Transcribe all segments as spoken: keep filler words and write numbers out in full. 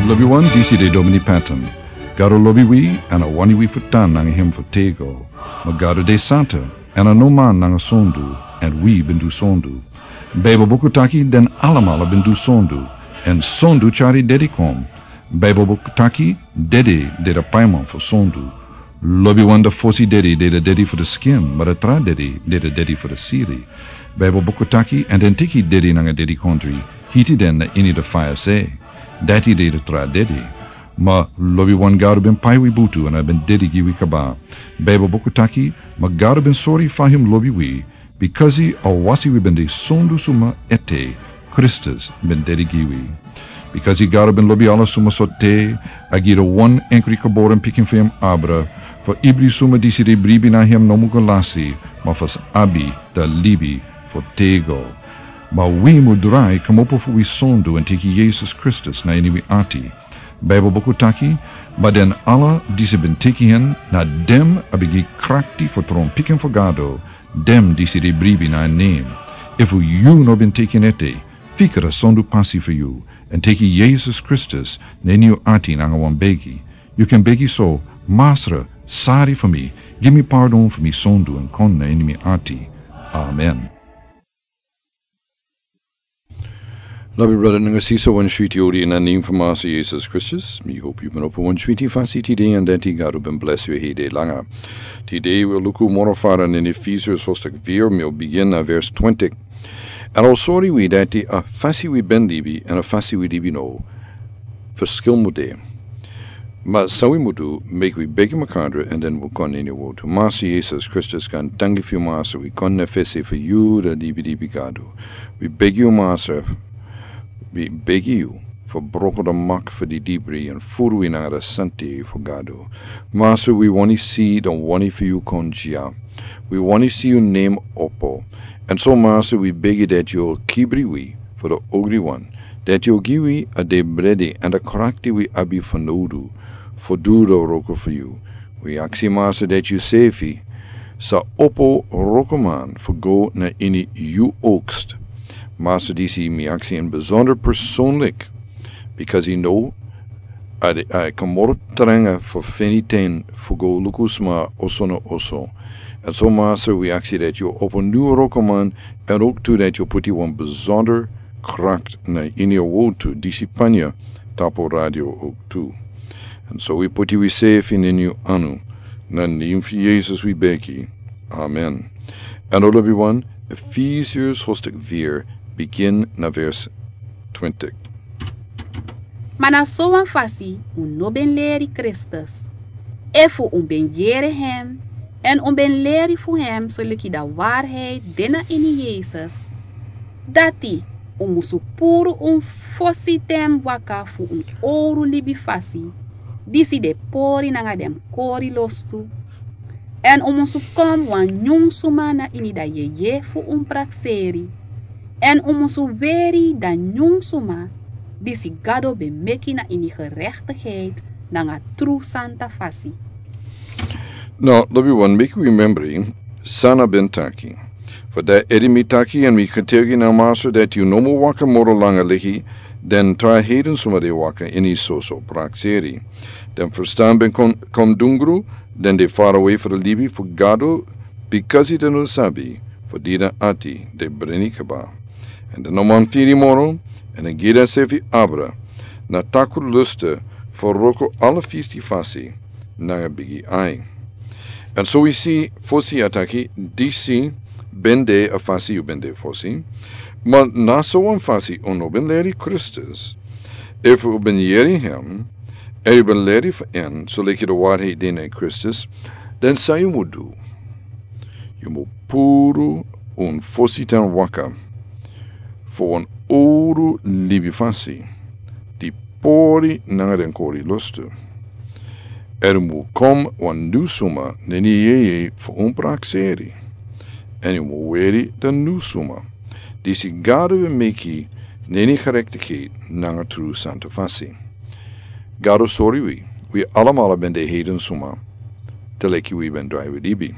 Lobi wan, disi de Domini Patton. Gado lobi wi, èn a wani wi fu tan nanga hem fu tego. Ma Gado de santa, èn a no man nanga sondu, èn wi ben du sondu. Baibel buku taki den alamala ben du sondu, èn sondu tyari dede kon. Baibel buku taki dede de a paiman fu sondu. Lobi wan, a fosi dede de a dede fu a skin, ma a tra dede de a dede fu a siri. Baibel buku taki, èn den teki dede nanga dedikondri, hiti den na ini a faya se. Dati de a tra dede. Ma lobi wan, Gado ben pai wi butu èn a ben dede gi wi kaba. Baibel buku taki, ma Gado ben sori fa hem lobi wi, bikasi a wasi wi ben de sondu suma ete, Kristus ben dede gi wi. Bikasi Gado ben lobi ala suma so te, a gi a wan enkri geboren pikin fu hem abra, fu ibri suma disi de bribi na hem no mu go lasi, ma fu sa abi a libi fu tego. Ma wi mu drai kmopo fu wi sondu èn teki Yesus Kristus na ini wi ati. Baibel buku taki, ma den ala disi ben teki hen, na den a ben gi krakti fu tron pikin fu Gado, den disi de bribi na en nen. Efu yu no ben teki en ete, fika a sondu pasi fu yu, èn teki Yesus Kristus na ini yu ati nanga wan begi. Yu kan begi so: Masra, sori fu mi, gi mi pardon fu mi sondu èn kon na ini mi ati. Amen. Lobi brada nanga sisa, wan switi odi na nen fu Masra Yesus Kristus. Mi hopi yu ben opo wan switi fasi tide èn dati Gado ben blesi yu hede langa. Tide wi o luku moro fara na Efesios hoofdstuk vier, mi o bigin na vers twintig. Èn a o sori wi dati a fasi wi ben libi èn a fasi wi libi now, ferskil mu de. Ma san wi mu du, meki wi begi makandra èn den wi kon ini a wortu. Masra Yesus Kristus, kan danki fu yu Masra, wi kon na fesi fu yu, a libi libi Gado. Wi begi yu Masra, wi begi yu fu broko a mak fu a didibri èn furu wi nanga a santa fu Gado. Masra, wi wani si a wani fu yu kon dya. Wi wani si yu nen opo. Èn so Masra, wi begi dati yu o kibri wi fu a ogri wan, dati yu o gi wi a de bredi èn a krakti wi abi fanowdu fu du a wroko fu yu. Wi aksi Masra dati yu sefi sa opo wrokoman fu go na ini yu oogst. Masra, disi mi aksi en besonder personlik, bikasi yu no a de, a e kon moro tranga fu feni ten fu go luku sma oso na oso. Èn so Masra, wi aksi dati yu o opo nyun wrokoman, èn ooktu dati yu o puti wan besonder krakti na ini a wortu disi panya tapu radio ooktu. Èn so wi puti wi sefi na ini yu anu, na nen fu Yesus wi begi. Amen. Èn lobi wan, Efesios hoofdstuk vier, bigin na vers twintig. Ma na sowan fasi un no ben leri Kristus. Efu un ben yere hem, èn un ben leri fu hem soleki a waarheid de na ini Yesus, dati un musu puru un fositen waka fu un owru libi fasi, disi de pori nanga den kori lostu. Èn un musu kon wan nyun suma na ini a yeye fu un prakseri. Èn un musu weri a nyun suma disi Gado ben meki na ini gerechtigheid nanga tru santa fasi. Now, lobi wan, meki wi membri san a ben taki. Fu dati ede mi taki èn mi getuigi na Masra dati yu no mu waka moro langa leki den tra heiden suma de waka ini soso prakseri. Den ferstan ben kon, kon dungru, den de farawe fu a libi fu Gado, bikasi den no sabi fu dida ati de breni kaba. Èn den no man firi moro, èn den gi densefi abra na takru lustu fu wroko ala fisti fasi nanga bigi ai. Èn so wi si fosi a taki, disi ben de a fasi yu ben de fosi, ma na sowan fasi un no ben leri Kristus. Efu un ben yere hem, èn yu ben leri fu en soleki a waarheid de na Kristus, dan san yu mu du? Yu mu puru un fositen waka fu wan owru libi fasi, di pori nanga den kori lustu. Èn yu mu kon wan nyun suma na ini a yeye fu un prakseri. Èn yu mu weri a nyun suma disi Gado ben meki na ini gerechtigheid nanga tru santa fasi. Gado sori wi, wi alamala ben de heiden suma, te leki wi ben drai wi libi.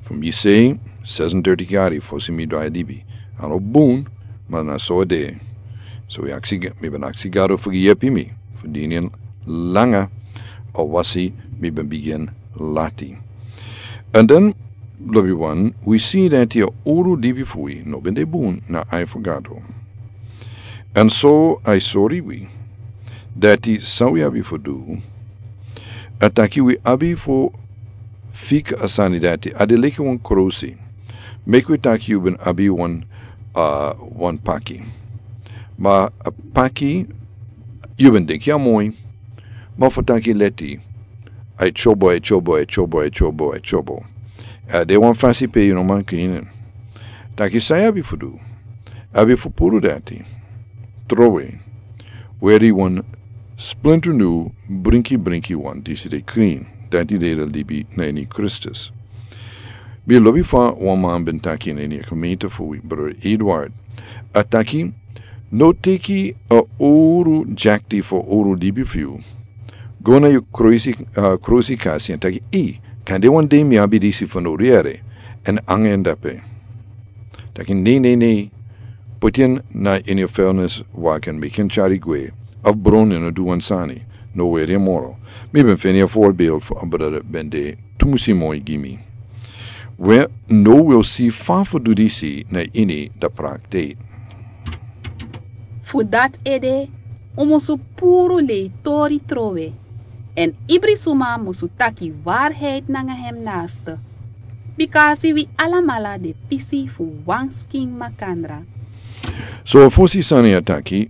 Fu mi sei, zesentwintig yari fosi mi drai libi. A no bun, ma na so a de. So wi aksi, mi ben aksi Gado fu gi yepi mi fu dini en langa, a wasi mi ben bigin lati. And then, lobi wan, wi si dati a uru dibi fu wi no ben de bun na ai fu Gado. And so ai sori wi dati san wi abi fu du. A taki wi abi fu fika a sani dati a de leki wan krosi. Meki wi taki yu ben abi wan, uh, wan paki. Ma a paki yu ben denki a moi. Ma fu taki leti, a e tyobo, a e tyobo, a e tyobo, a e tyobo, a e tyobo. A de wan fasi pe yu no man kini en. Taki san yu abi fu du. Abi fu puru dati. Trowe. Weri wan splinter nu brinki brinki wan disi de krin. Dati de de libi na ini Kristus. Mi lobi fa wan man ben taki na ini a komenta fu wi brother Edward. A taki, no teki a uru jakti fu uru libi fu yu. Go na yu krusi, uh, krusi kasi en taki, i, kande wan dei mi abi disi fu no riere, en angen dape. Taki nei, nei, nei, puti en na ini a felnes waken mi ken tyari gwe, of bron en a du wan sani, no weri en moro. Mi ben feni a voorbeeld fu a brother ben de tumusi moi gi mi. We no wil si fa fu du disi na ini da praktijk. Fu dati ede, un musu puru lei tori trowe. En ibri suma musu taki waarheid nanga hem naaste. Bika a si wi alamala de pisi fu wan skin makandra. So a fosi sani a taki,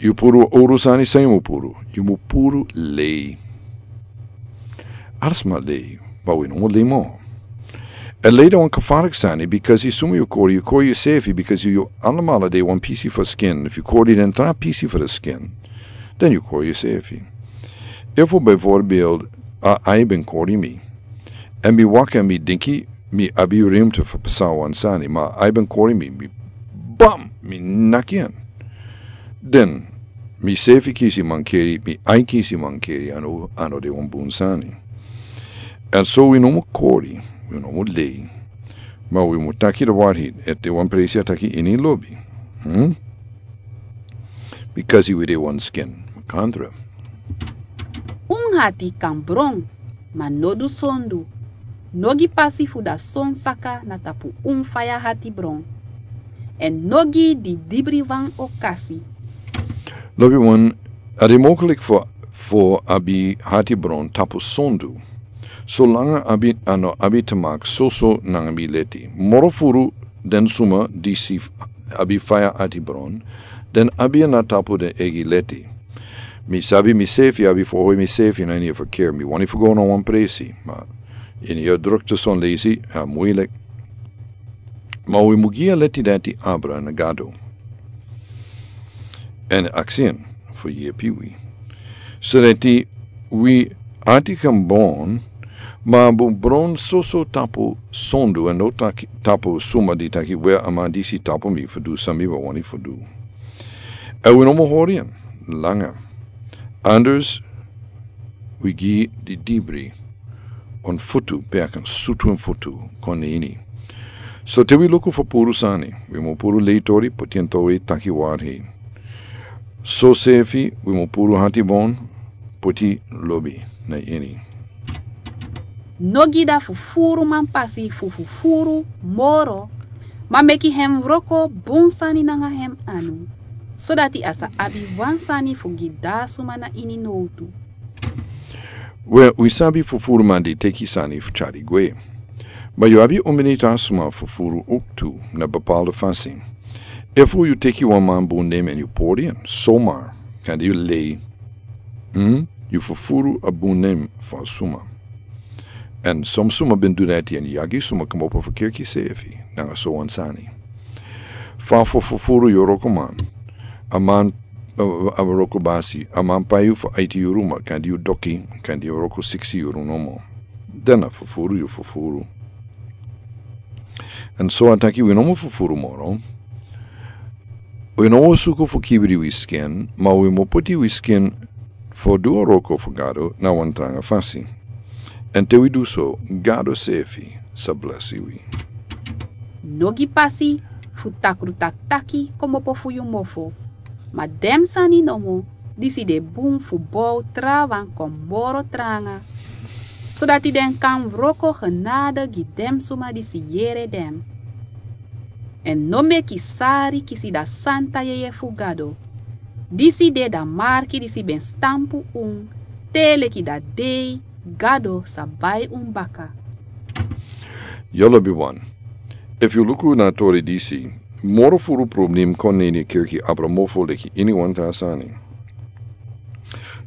yu puru uru sani san yu mu puru. Yu mu puru lei. Arsma lei, ma wi no mu lei mo. A lei de wan kafarik sani, because yu suma yu kori, yu kori yusefi, because yu, yu alamala de wan pisi fu skin. If yu kori den tra pisi fu skin, then yu kori yusefi. Efu bijvoorbeeld, a ai ben kori mi. En mi waka en mi dinki, mi abi rimte fu pasa wan sani, ma ai ben kori mi, mi bam, mi naki en. Den, mi sefi kisi mankeri, mi ai kisi mankeri, a no, a no de wan bun sani. En so wi no mu kori, wi no mu lei. Ma wi mu taki de waarheid, ete wan presi a taki ini lobi. Hmm? Because wi de wan skin, makandra. Un hati kan bron, ma no du sondu. No gi pasi fu da son saka na tapu un faya hati bron. En no gi di dibri wan okasi. Lobi wan, a de mogelijk fu, fu abi hati bron tapu sondu. Solanga abi, a no abi te maki soso nanga mi leti. Moro furu den suma disi abi faya hati bron. Den abi na tapu den egi leti. Mi sabi misefi abi fu hoi misefi na ini a verkeer. Mi wani fu go na wan presi. Ma ini a drukte son leisi, a moeilijk. Ma wi mu gi a leti dati abra na Gado. En aksi en fu yepi wi. So dati wi ati kan bon, ma a bun bron soso tapu sondu en no taki, tapu suma di taki we a man disi tapu mi fu du san mi ben wani fu du. En wi no mu hori en langa. Anders wi gi di dibri un futu pe a kan sutu un futu kon na ini. So te wi luku fu puru sani, wi mu puru lei tori, puti en towe taki waarheid. So sefi, wi mu puru hati bon, puti lobi na ini. No gi da fufuru man pasi fu fufuru moro, ma meki hem wroko bun sani nanga hem anu, sodati a sa abi wan sani fu gi da suma na ini nowtu. We, wi sabi fufuru man di teki sani fu tyari gwe. Ma yu abi un miniti a suma fufuru owktu na bepaalde fasi. Efu yu teki wan man bun nen en yu pori en, somar, kande yu lei. Hmm? Yu fufuru a bun nen fu a suma. En son suma ben du dati en yagi suma komopo fu kerki sefi, nanga so wan sani. Fa fu fufuru yu wroko man. A man, a, a wroko basi, a man pai yu fu aiti yuru ma, kande yu doki, kande yu wroko siksi yuru nomo. Dan a fufuru yu fufuru. En so a taki wi no mu fufuru moro. Wi no mu suku fu kibri wi skin, ma wi mu puti wi skin fu du a wroko fu Gado na wan tranga fasi. En te wi du so, Gado sefi sa blesi wi. No gi pasi fu takru taktaki komopo fu yu mofo. Ma den sani nomo disi de bun fu bow trawan kon moro tranga, sodati den kan wroko genade gi den suma disi yere den. Èn no meki sari kisi da santa yeye fu Gado. Disi de da marki disi ben stampu un te leki da dei Gado sa bai un baka. Yu lobiwan, efu yu luku na a tori disi, moro furu problem kon na ini a kerki abra mofo leki iniwan tra sani.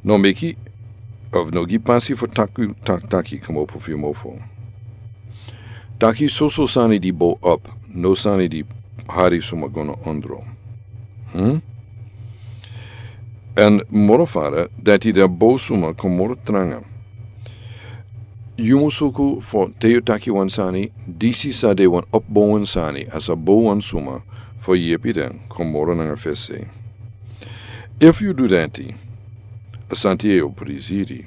No meki of no gi pasi fu taki, tak, taki komopo fu yu mofo. Taki soso sani di bow op, no sani di hari suma go na ondro. Hmm? Èn moro fara dati den bow suma kon moro tranga. Yu mus suku fu te yu taki wan sani, disi sa de wan opbowen sani, a sa bow wan suma fu yepi den kon moro nanga fesi. Efu yu du dati, a santa yeye o prisiri.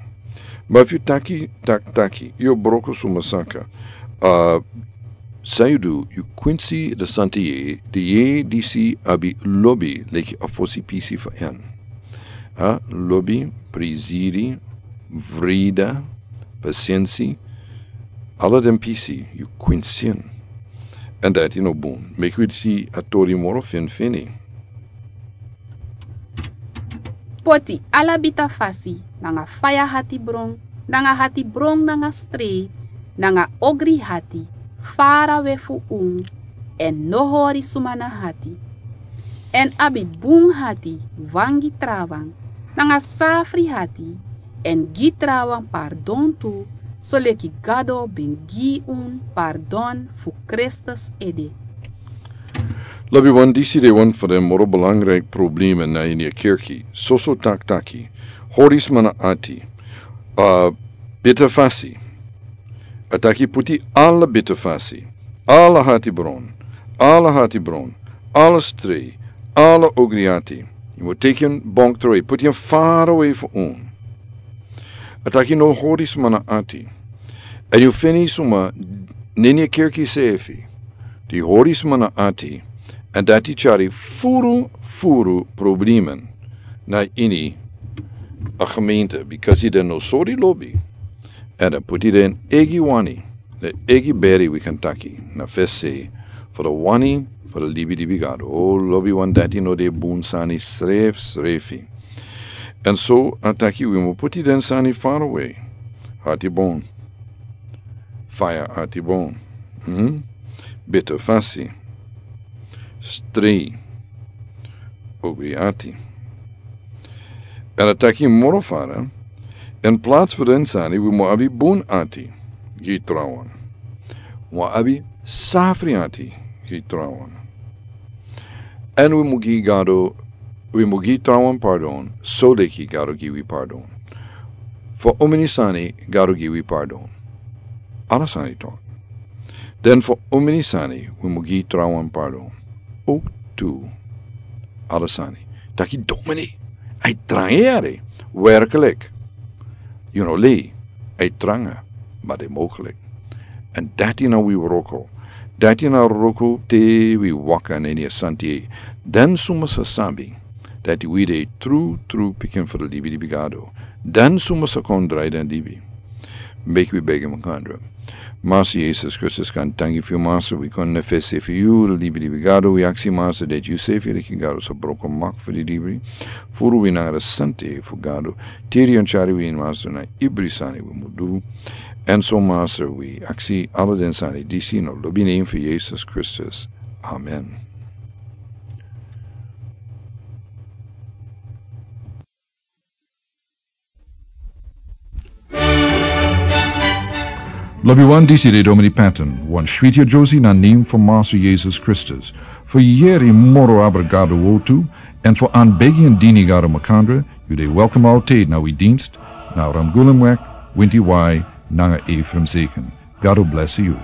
Ma efu yu taki, tak, taki, yu o broko suma saka. A, san yu du, yu kwinsi da santa yeye, da yeye disi abi lobi leki a fosi pisi fu en. A, lobi, prisiri, vrede, pasensi, ala den pisi yu kwinsi en. Èn dati no bun. Meki wi si a tori moro finfini. Poti ala bita fasi nanga faya hatibron, nanga hatibron nanga strei, nanga ogri hati, farawe fu un, èn no hori suma na hati. Èn abi bun hati wangi trawan, nanga safri hati, èn gi trawan pardon tu, soleki Gado ben gi un pardon fu Kristus ede. Lobiwan, disi de wan fu den moro belangrijk problemen na ini a kerki. Soso tak, taki, hori sma na ati, a, bita fasi. A taki puti ala bita fasi, ala hatibron, ala hatibron, ala strei, ala ogri ati. Yu mus teki en bonk trowe, puti en farawe fu un. A taki no hori sma na ati. Èn yu feni suma na ini a kerki sefi di hori sma na ati, èn dati tyari furu, furu problemen na ini a gemeente, bikasi den no sori lobi. Èn den puti den eigi wani, den eigi beri wi kan taki, na fesi, fu da wani fu da libi libi Gado. O lobiwan, dati no de bun sani srefi srefi. Èn so a taki wi mus puti den sani farawe. Hatibron. Faya hatibron. Hmm? Bita fasi. Strei. Ogri ati. Èn a taki moro fara, in plaats fu den sani, wi mus abi bun ati gi trawan. Wi mus abi safri ati gi trawan. Èn wi mus gi Gado, wi mus gi trawan pardon, soleki Gado gi wi pardon. Fu omeni sani Gado gi wi pardon. Ala sani toch. Den fu omeni sani wi mus gi trawan pardon. Ook tu. Ala sani. Taki domini. A e tranga yere. Werkelijk. Yu no lei. A e tranga. Ma de mogelijk. Èn dati na wi wroko. Dati na wroko te wi waka na ini a santa yeye. Den suma sa sabi dati wi de tru tru pikin fu da libi libi Gado. Den suma sa kon drai den libi. Meki wi begi makandra. Master Jesus Kristus, kan tangi fu yu, Master, wi kon na fesi fu yu, libi libi Gado, wi aksi, Master, dati yu sefi leki Gado sa broko mak fu di libi. Furu wi nanga da santa yeye fu Gado. Tiri èn tyari wi, Master, na ibri sani wi mus du. Èn so, Master, wi aksi ala den sani disi na lobi nen fu Jesus Kristus. Amen. Lobiwan, disi de Domini Patton, wan switi yeyusrefi na nen fu Master Jesus Kristus. Fu yere moro abra Gado wortu, èn fu anbegi èn dini Gado makandra, yu de welkom altijd na wi dienst, na Ramgulemweg, winti wai, nanga Ephraim Zeken. Gado bless yu.